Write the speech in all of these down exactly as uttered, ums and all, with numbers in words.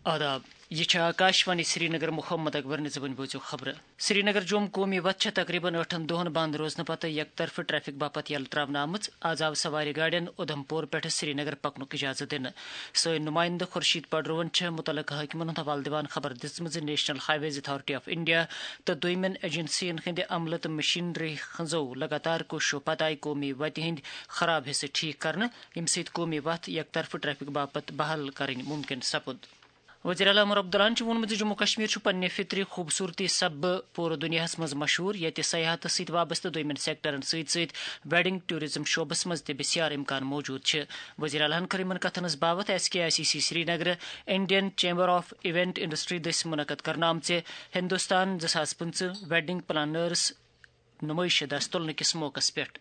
آداب، یہِ چھِ آکاشوانی سرینگر۔ محمد اکبر نِزِ وۄنۍ بوٗزِو خبرٕ۔ سرینگر جوم قومی وتھ چھےٚ تقریباً ٲٹھن دۄہن بند روزنہٕ پتہٕ یک طرفہٕ ٹریفک باپتھ یلہٕ تراونہٕ آمٕژ۔ آز آو سوارِ گاڑٮ۪ن اُدھمپور پٮ۪ٹھٕ سرینگر پکنُک اجازت دِنہٕ۔ سٲنۍ نُمٲیندٕ خورشید پڈروہن چھےٚ مُتعلقہٕ حٲکمن ہُنٛد حوالہٕ دِوان خبر دِژمٕژ زِ National Highways Authority of India تہٕ دوٚیمٮ۪ن ایجنسین ہٕنٛدِ عملہٕ تہٕ مشینری ہٕنٛزو لگاتار کوٗششو پتہٕ آیہِ قومی وتہِ ہٕنٛدۍ خراب حصہٕ ٹھیک کرنہٕ، ییٚمہِ سۭتۍ قومی وتھ یک طرفہٕ ٹریفک باپتھ بحال کرٕنۍ مُمکِن سپُد۔ وزیر اعلیٰ عمر عبداللہن چھُ ووٚنمُت زِ جموں کشمیر چھُ پننہِ فطری خوٗبصوٗرتی سببہٕ پوٗرٕ دُنیاہَس منٛز مشہوٗر، ییٚتہِ سیاحتس سۭتۍ وابستہٕ دوٚیمٮ۪ن سیکٹرن سۭتۍ سۭتۍ ویڈنگ ٹورازم شعبس منٛز تہِ بسیار امکان موجود چھِ۔ وزیر اعلیٰ ہن کٔر یِمن کتھن ہٕنٛز باوتھ S K I C C Srinagar, Indian chamber of event industry دٔسۍ منعقد کرنہٕ آمژِ ہندوستان زٕ ساس پٕنٛژٕہ ویڈنگ پلانرز نمائش دس تُلنہٕ کِس موقعس پٮ۪ٹھ۔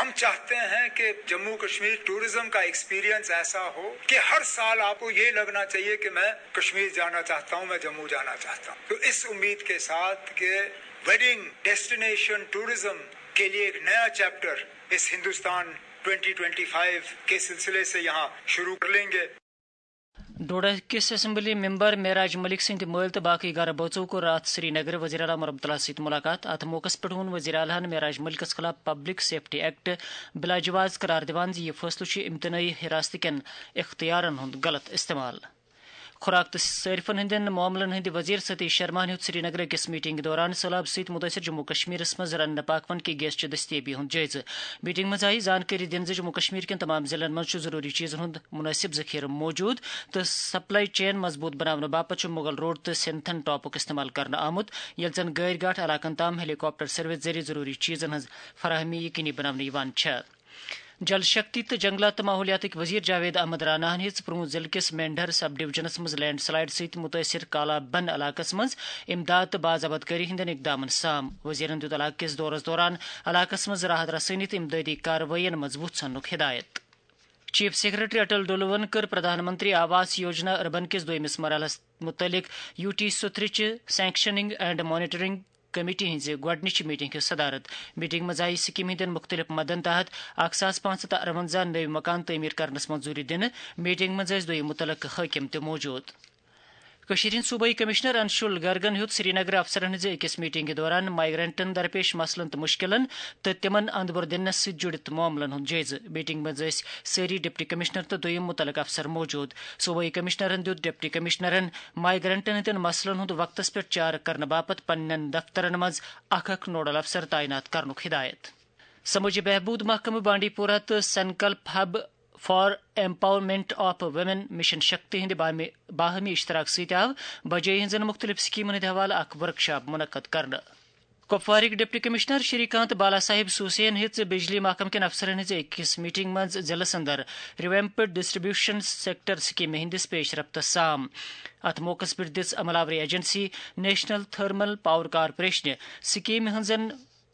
ہم چاہتے ہیں کہ جموں کشمیر ٹورازم کا ایکسپیرینس ایسا ہو کہ ہر سال آپ کو یہ لگنا چاہیے کہ میں کشمیر جانا چاہتا ہوں، میں جموں جانا چاہتا ہوں۔ تو اس امید کے ساتھ کہ ویڈنگ ڈیسٹینیشن ٹورازم کے لیے ایک نیا چیپٹر اس ہندوستان ٹوئنٹی ٹوئنٹی فائیو کے سلسلے سے یہاں شروع کر لیں گے۔ ڈوڈہ کِس اسمبلی ممبر معراج ملک سٕنٛدِ مٲلۍ تہٕ باقٕے گرٕ بٲژو کوٚر راتھ سرینگرٕ وزیر اعلیٰ عمر عبداللہ سۭتۍ مُلاقات۔ اَتھ موقعس پٮ۪ٹھ ووٚن وزیر اعلیٰ ہن معراج ملکس خلاف پبلک سیفٹی ایکٹ بلاجواز قرار دِوان زِ یہِ فٲصلہٕ چھُ امتنٲعی حراستہٕ کٮ۪ن اختیارن ہُنٛد غلط استعمال۔ خوراک تہٕ صٲرفن ہٕنٛدٮ۪ن معاملن ہٕنٛدِ وزیر ستیش شرماہن ہیوٚت سرینگرٕ أکِس میٹنگہِ دوران سٔہلاب سۭتۍ مُتٲثر جموں کشمیرس منٛز رننہٕ پاکوان کہِ گیس چہِ دٔستیٲبی ہُنٛد جٲیزٕ۔ میٹنگ منٛز آیہِ زانکٲری دِنہٕ زِ جموں کشمیر کٮ۪ن تمام ضلعن منٛز چھُ ضروٗری چیٖزن ہُنٛد مناسب ذخیرٕ موجود تہٕ سپلائی چین مضبوٗط بناونہٕ باپتھ چھُ مغل روڈ تہٕ سنتھن ٹاپُک استعمال کرنہٕ آمُت، ییٚلہِ زن گٲرۍ گاٹھ علاقن تام ہیلی کاپٹر سروس ذٔریعہٕ ضروٗری چیٖزن ہٕنٛز فراہمی یقینی بناونہٕ یِوان چھےٚ۔ جل شکتی تہٕ جنگلات تہٕ ماحولیاتٕکۍ وزیر جاوید احمد راناہن ہیٚژ پرون ضلعہٕ کِس مینڈھر سب ڈویژنس منٛز لینڈ سلائیڈ سۭتۍ مُتٲثر کالا بند علاقس منٛز امداد تہٕ باضابطگٲری ہٕنٛدٮ۪ن اقدامن سام۔ وزیرن دیُت علاقہٕ کِس دورس دوران علاقس منٛز راحت رسٲنی تہٕ امدادی کاروٲیین منٛز وُژھ اننُک ہدایت۔ چیف سیکرٹری اٹل ڈولون کٔر پردھان منتری آواس یوجنا اربن کِس دوٚیمِس مرحلس مُتعلق یو ٹی سترٕچہِ سینکشننگ اینڈ مانیٹرنگ کمیٹی ہٕنٛزِ گۄڈٕنِچہِ میٹنگ ہٕنٛز صدارت۔ میٹنگ منٛز آیہِ سکیمہِ ہٕنٛدٮ۪ن مُختٔلِف مدن تحت اکھ ساس پانٛژھ ہتھ تہٕ ارونزہ نٔوۍ مکان تعمیٖر کرنس منظوٗری دِنہٕ۔ میٹنگ منٛز ٲسۍ دۄیو مُتعلقہٕ حٲکِم تہِ موجود۔ کٔشیٖرِ ہٕنٛدۍ صوبٲئی کمشنر انشول گرگن ہیوٚت سرینگرٕ افسرن ہٕنٛزِ أکِس میٹنگہِ دوران مائیگرنٹن درپیش مسلن تہٕ مُشکِلن تہٕ تِمن اندٕ بۄر دِنس سۭتۍ جُڑِتھ معاملن ہُنٛد جٲیزٕ۔ میٹنگ منٛز ٲسۍ سٲری ڈپٹی کمشنر تہٕ دوٚیِم مُتعلقہٕ افسر موجود۔ صوبٲئی کمشنرن دیُت ڈپٹی کمشنرن مائیگرنٹن ہٕنٛدٮ۪ن مسلن ہُنٛد وقتس پٮ۪ٹھ چارٕ کرنہٕ باپتھ پننٮ۪ن دفترن منٛز اکھ اکھ نوڈل افسر تعینات کرنُک ہدایت۔ سمٲجی بہبود محکمہٕ بانڈی پورہ تہٕ Sankalp hub for empowerment of women mission Shakti ہٕنٛدِ باہمی، باہمی اشتراک سۭتۍ آو بجٲے ہٕنٛزن مُختٔلِف سکیمن ہٕنٛدِ حوالہٕ اکھ ورکشاپ منعقد کرنہٕ۔ کپوارٕکۍ ڈپٹی کمشنر شری کانت بالا صاحب سوسین ہیٚژ بجلی محکمہٕ کٮ۪ن افسرن ہٕنٛزِ أکِس میٹنگ منٛز ضلعس اندر ریویمپڈ ڈسٹریبیوشن سیکٹر سکیمہِ ہٕنٛدِس پیش رفتس سام۔ اتھ موقعس پٮ۪ٹھ دِژ عملہ آوری ایجنسی نیشنل تھرمل پاور کارپوریشنہِ سکیمہِ ہٕنٛزن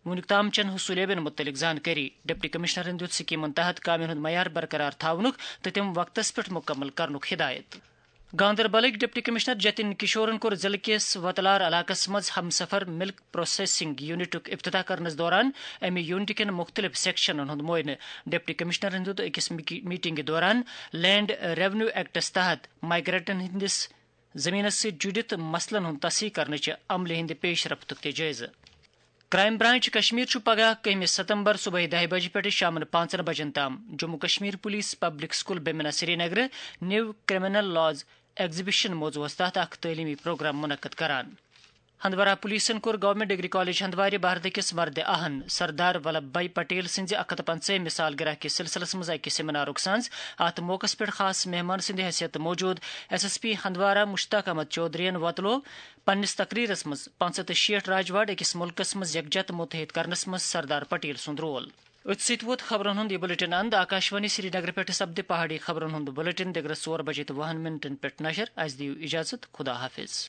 وُنیُک تام چٮ۪ن حصوٗلیابین مُتعلِق زانکٲری۔ ڈپٹی کمشنرن دیُت سکیمن تحت کامٮ۪ن ہُنٛد معیار برقرار تھاونُک تہٕ تِم وقتس پٮ۪ٹھ مُکمل کرنُک ہدایت۔ گاندربلٕکۍ ڈپٹی کمشنر جتن کشورن کوٚر ضلعہٕ کِس وتلار علاقس منٛز ہمسفر ملک پروسیسنگ یونٹُک افتتاح کرنس دوران امہِ یونٹہٕ کٮ۪ن مُختٔلِف سیکشنن ہُنٛد معائنہٕ۔ ڈپٹی کمشنرن دیُت أکِس میٹنگہِ دوران لینڈ ریونیو ایکٹس تحت مائیگرنٹن ہٕنٛدِس زمینس سۭتۍ جُڑِتھ مسلن ہُنٛد تصحیح کرنٕچہِ عملہِ ہٕنٛدِ پیش رفتُک تہِ جٲیزٕ۔ کرائم برانچ کشمیر چھُ پگاہ کٔہمہِ ستمبر صبحٲے دَہہِ بجہِ پٮ۪ٹھٕ شامَن پانٛژن بجن تام Jammu Kashmir police public school Bemina سرینگرٕ نیو کرمنل لاز ایگزیبیشن موضوعس تحت اکھ تعلیمی پروگرام منعقد کران۔ ہندوارہ پولیسن کوٚر گورنمنٹ ڈگری کالج ہندوارِ بھارتہٕ کِس مردِ اہن سردار ولبھ بھائی پٹیل سٕنٛزِ اکھ ہتھ پنٛژاہمہِ سالگرہ کِس سلسلس منٛز اکہِ سیمینارُک سانز۔ اتھ موقعس پٮ۪ٹھ خاص مہمان سٕنٛدِ حیثیت موجود S S P Handwara Mushtaq Ahmad چودھرین وۄتلوو پننِس تقریرس منٛز پانٛژھ ہتھ تہٕ شیٹھ راج واڑ أکِس مُلکس منٛز یکجا تہٕ متحد کرنس منٛز سردار پٹیل سُنٛد رول۔ أتھۍ سۭتۍ ووت خبرن ہُنٛد یہِ بلیٹن اند۔ آکاشوانی سرینگر پٮ۪ٹھ سپدِ پہاڑی خبرن ہُنٛد بلیٹن دِگرس ژور بجے تہٕ وُہن منٹن پٮ۪ٹھ نشر۔ اسہِ دِیِو اجازت، خدا حافظ۔